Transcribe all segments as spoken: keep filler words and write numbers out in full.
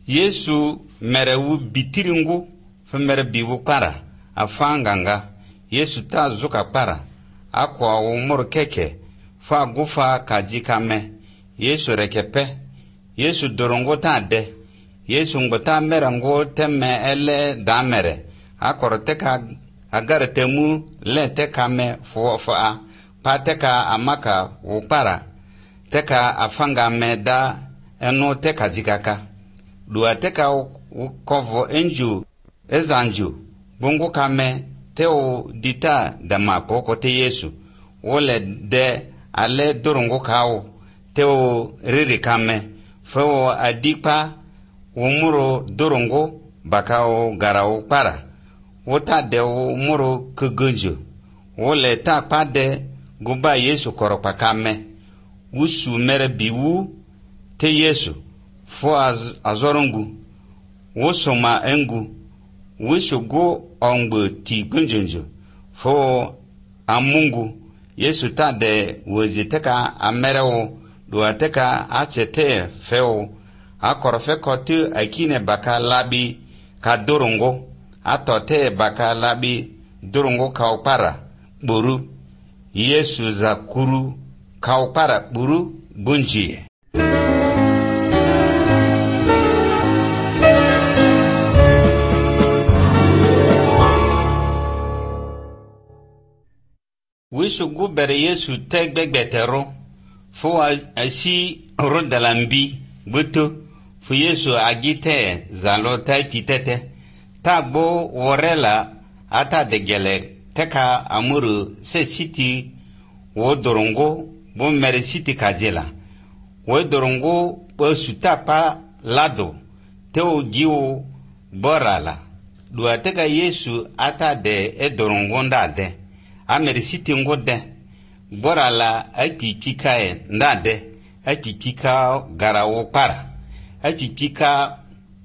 Yesu merewu bitiringu fe mere biwu para afanganga. Yesu ta zuka para akwa umur keke fa gufa kajikame. Yesu rekepe. Yesu dorongo ta de. Yesu ngota merango teme ele damere. Akoro teka agare temu le teka me fo fa pa teka amaka upara teka afanga me da eno teka jikaka dua teka kovo enju ezanju bongo kame teo dita dama koko te Yesu wole de ale dorongo kao teo riri kame fo adipa umuro dorongo bakao garao para wota de umuro kugunju wole ta pade guba Yesu koropa kame wusu mere biwu te Yesu fo az, azorongu wosoma engu wisu go ongbo ti gunjunju fo amungu Yesu ta de woziteka amereo duateka achete feo akorofe kotu akine baka labi ka dorongo atote baka labi dorongo kaupara buru Yesu za kuru kaupara buru bunjie. Wisu gubere Yesu tegbegbetero fo asi rodalambi buto fu Yesu agite zalo tai pitete tagbo worela ata degele teka amuru se siti wo dorongo bo mere siti kajela wo dorongo bo sutapa lado teo giwo borala dua teka Yesu ata de e dorongo ndade amere siti ngode borala akikika e ndade akikika garawo para akikika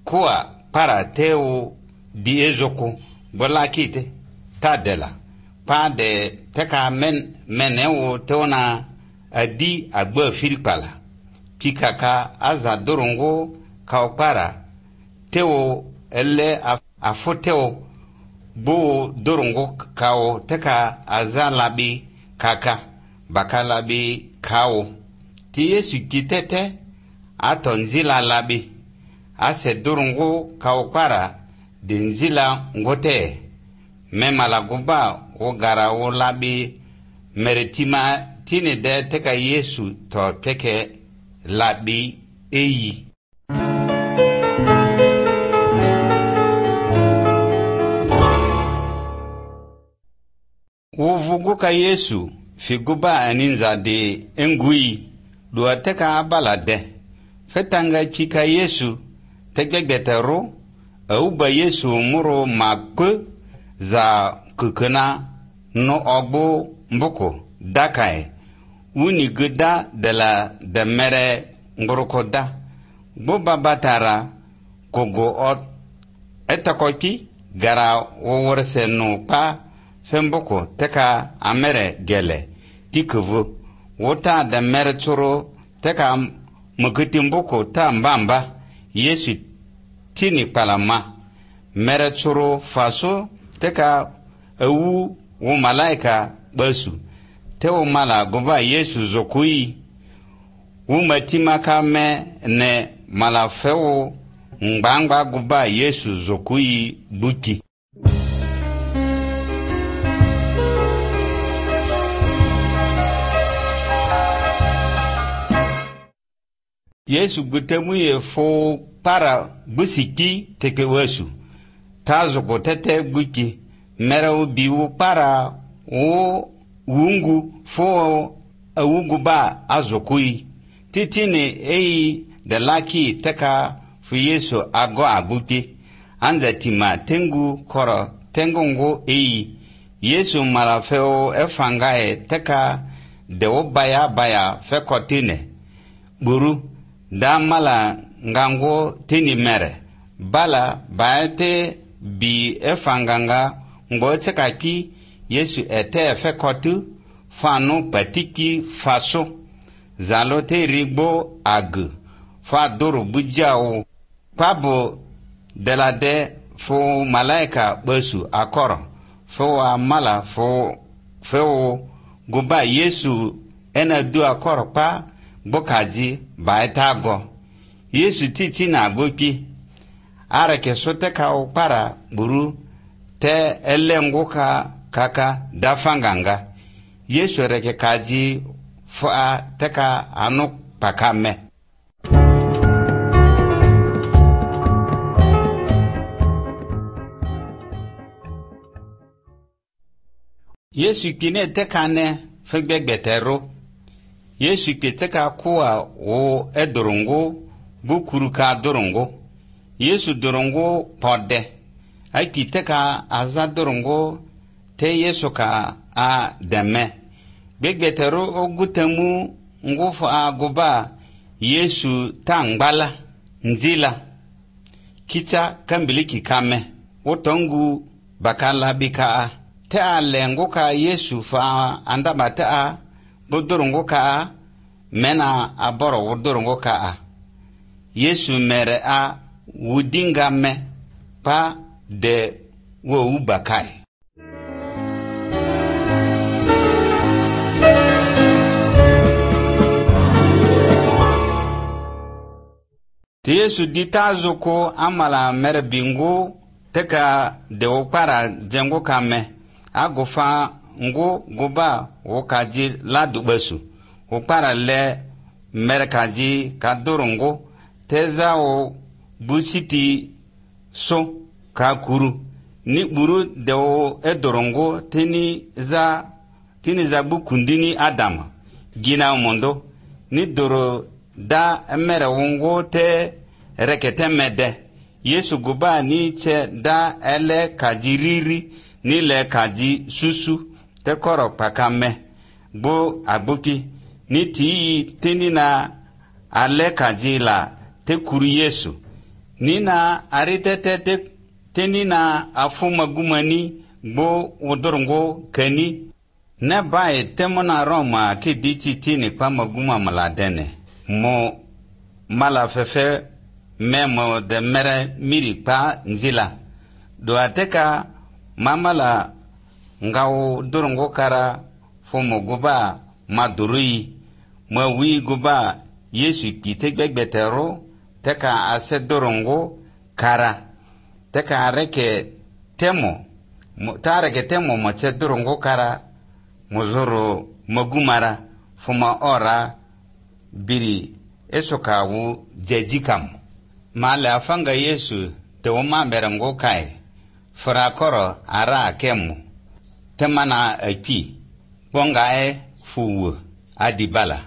kwa para teo di ezoko bola kite tadela pa de teka men menewo tona adi agbo firipala kikaka aza dorongo kaupara teo ele afoteo bo dorongo kao teka aza labi kaka bakalabi kao ti Yesu kitete atonzila labi ase dorongo kaupara denzila ngote memala guba o gara o labi meretima tine de teka Yesu to teke labi eyi. Uvugu ka Yesu figuba aninza de engui do teka abala de fetanga chika Yesu tegegetero auba Yesu muro makwe za kukuna no ogbo mboko dakae uni guda de la de mere ngorokoda bo babatara kogo ot etakoki gara woworse no pa femboko teka amere gele tikuvu wota de mere choro teka mukitimboko ta mbamba Yesu tini palama mere choro faso teka ewu wo malaika basu te wo mala goba Yesu zokui wo matima kame ne mala fewo ngbangba goba Yesu zokui buki. Yesu gutemu ye fo para busiki teke wesu tazo ko tete buki mera biwu para o wungu fo awugu ba azokui titini ei de laki teka fu Yesu ago abuki anza tima tengu koro tengongo ei Yesu malafeo efangae teka de obaya baya fekotine buru da mala ngango tini mere bala baete bi efanganga ngo tsekaki Yesu ete fekotu fano patiki faso zalote rigbo ag fa doro bujao Pabo de la de fo malaika besu akoro fo amala fo fo guba Yesu ena du akoro pa bokaji baitago Yesu titi na gopi ara ke sote ka para buru te elengo ka kaka dafanganga Yesu reke kaji fa teka anu pakame. Yesu kine teka ne fegbetero Yesu teka kuwa o edorongo bukuru ka dorongo Yesu dorongo pode ai teka aza dorongo te Yesu ka a deme begbetero ogutemu ngufa agoba Yesu tangbala nzila kicha kambiliki kame otongu bakala bika te alengo ka Yesu fa andaba te a bodorongo ka mena aboro wodorongo ka Yesu mere a wudinga me pa de wo ubakai. Yesu ditazo ko amala mere bingo teka de opara jengo kame agofa ngo goba wokaji ladubesu opara le mere kaji kadorongo teza o busiti so kakuru ni buru de o edorongo tini za tini za bukundini Adama gina mondo ni doro da mere wongo te rekete mede Yesu guba ni che da ele kajiriri ni le kaji susu te koro pakame bo agboki ni ti tini na ale kaji la te kuru Yesu ni na aritete te tini na afuma gumani bo wodorongo keni ne bae temona Roma ki dichi tini kwa maguma maladene mo mala fefe memo de mere miri pa nzila do ateka mamala ngao dorongo kara fomo guba madurui ma wi guba Yesu kite gbetero teka ase dorongo kara teka areke temo tareke temo mo che dorongo kara mozoro magumara foma ora biri esokawu jejikam mala afanga Yesu te woma berango kai frakoro ara kemu temana api bongae fuwu adibala